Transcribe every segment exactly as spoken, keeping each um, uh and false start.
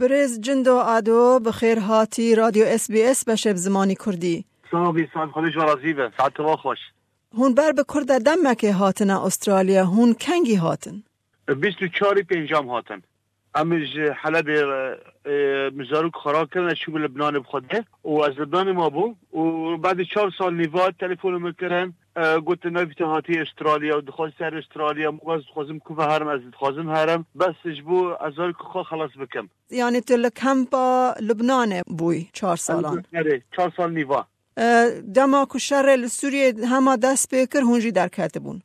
Birêz Cindo Ado, bi xêr hatî Radyo S B S beşê bi zimanî Kurdî. Sax bî, sax bî, Xwedê ji we razî be. Saet we xweş. Hûn ber bi Kurda demekê hatine Astralya, hûn kengî hatin? Bîst û çarî pêncam hatin. Em ji Helebê, e, e, min zarok xwe rakirin, ez çûbû Libnanê bi xwe de û ez Libnanê mabûm û badî çar sal nîva telefona min kirin, e, gotin, "Navî te hatiye Astralya û dixwazî ser Astralya." Min got, "Ez dixwazim ku ve herim, ez dixwazim herim. Bes ji bo ez zarokê xwe xelas bikim." Yanî tu li kempa Libnanê bûyî çar salan? Erê, çar sal nîva. E, dema ku şerê li Sûriyê hema dest pê kir, hûn jî derketibûn?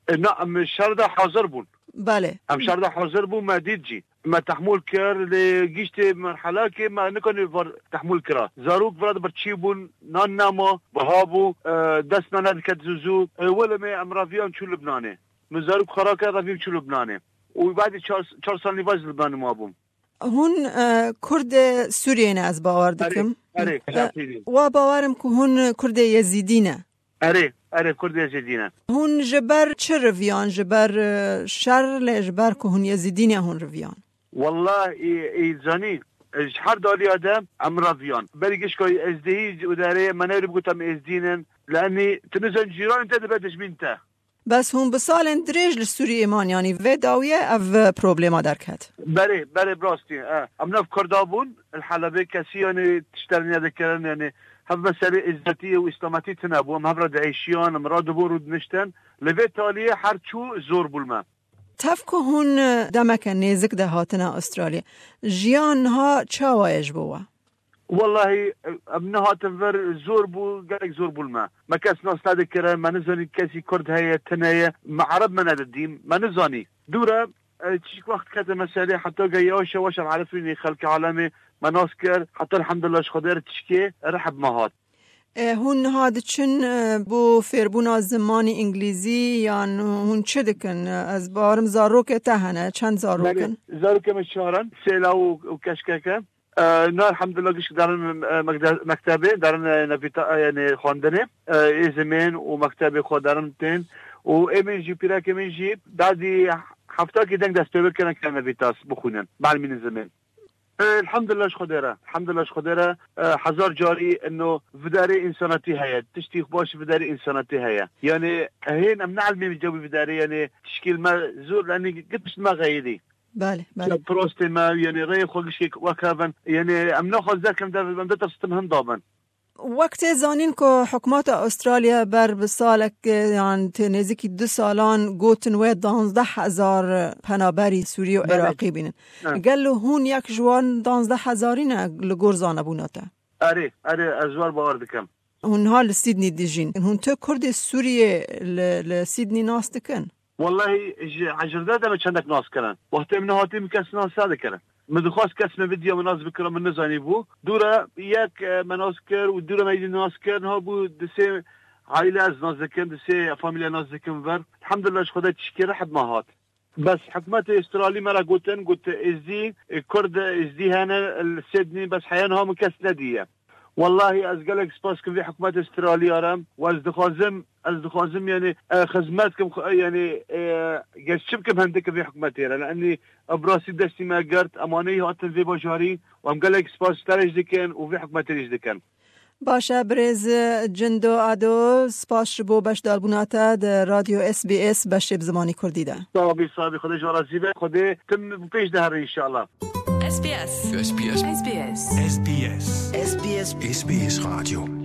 E, na, em şer de hazir bûn. Belê. Em şer de hazir bûn, me dît jî. Me tehmûl kir, lê giştê merhelakê me nikanî vir tehmûl kira. Zarok vira de birçî bûn, nan nema, biha bû, e, dest me nediket zû zû. E, wele me em reviyan çû Libnanê. Min zarok xwe rakir, revîm çû Libnanê. Û badî çar, çar sal nîva ji Libnanê mabûm. Hûn, e, Kurdê Sûriyê ne, ez bawer dikim. Erê, erê, E, şertî dî. Wa bawerim ku hûn Kurdê Yezîdî ne. Erê, erê, Kurdê Yezîdî ne. Hûn ji ber çi riviyan? Ji ber, e, şer, lê ji ber ku hûn Yezîdî ne hûn riviyan? Wallah, ê, ê zanî, e, ji her daliya de em reviyan. Berî gişka Êzdî û derê me newrî bigot em Êzdî nin. Lenî, tu nizan cîranên te dibe dijmîn te. Bes hûn bi salên dirêj li Sûriyê man, yanî vê dawiyê ev problema derket? Berê, berê, bi rastî, e. Em nav Kurda bûn, li Helebê kesî, yanî, tiştên nedikirin, yanî, hev meselê êzmetî û îslametî tune bû. Em hev re diêşiyan, em radibûn, rûdiniştin. Li vê taliyê her çû zor bû li me. Tev ku hûn demeke nêzik de hatine Astralya, jiyan niha çawa ye ji bo we? Wallahî, em nehatin vir, zor bû, gelek zor bû li me. Me kes nas nedikirin, me nizanî kesî Kurd heye, tune ye, me Ereb me nedidîm, me nizanî. Dûre, e, çiçik wext kete meselê, heta ge yavaş yavaş em erifînî xelkê alemê, me nas kir, heta elhamdulillah ji Xwedê re tişkê rih bi me hat. E, hûn niha diçin, e, bo fêrbûna zimanî îngilîzî yan hûn çi dikin? Ez bawerim zarokê te hene, çend zarok in? Belê, zarokê me çar in, sê law û, û keşkeke. E, na elhamdulillah gişk derin, e, mekde-, mektebê, derin, e, nevîta-, e, yanî xwendinê, e, ê zimên û mektebê xwe derin tên. Û ê min jî, pîrekê min jî, dadî heftakî deng dest pê bikirin ke nevîtas bixwînin, bielmînin zimên. E, elhamdulillah ji Xwedê re. Elhamdulillah ji Xwedê re, e, hezar carî ino vidarê însanatî heye. Tiştî baş vidarê însanatî heye. Yanî, hên em neelmî cewî vidarê, yanî tişkî li me zor, yanî git pişt me xeyirî. Belê, belê. Prostê me, yanî rêyê xwe gişkê wek hev in. Yanî em naxwazin derkevin, em ditirstin hin dabin. Wek tê zanîn ku hikûmeta Astralya ber bi salek, yan tê nêzîkî du salan gotin wê danzdeh hezar penaberî Sûrî û Belê. Iraqî bînin. Evet. Gelo hûn yek ji wan danzdeh hezarî ne li gor zanebûna te? Erê, erê, ez wer bawer dikim. Hûn niha li Sydney dijîn. Hûn tu Kurdê Sûriyê li, li Sydney nas dikin? Wallahî ji ecirde de me çendek nas kirin. Wextê min hatî min kes nas nedikirin. Min dixwast kes min vidiya min nas bikira, min nizanî bû. Dûre yek, e, me nas kir û dûre me yî nas kir. Niha bû di sê aîle ez nas dikim, di sê famîlya nas dikim vir. Elhamdulillah ji Xwedê tişkê rih bi me hat. Bes hikûmetê Astralî me re gotin, got, Êzdî, e, Kurd, Êzdî hene, li Sydney, bes heya niha min kes nediye. Wallahî ez gelek spas kim vê hikûmetê Astralî re. Û ez dixwazim, ez dixwazim, yanî, e, xizmet kim, xwe, yanî, e, geşçim kim hindik vê hikûmetê re. Yanî, e, bi rastî destî me girt, em aneyî hatin vê bajarî û em gelek spas ji te re jî dikin û vê hikûmetê re jî dikin. Baş e, birêz Cindo Ado, spas ji bo beşdarbûna te di Radyo S B S beşê bi zimanî Kurdî de. Sax bî, sax bî, Xwedê ji we razî be. Xwedê tim bi pêş de herin înşallah. S B S. S B S. S B S. S B S. S B S. S B S. S B S Radyo.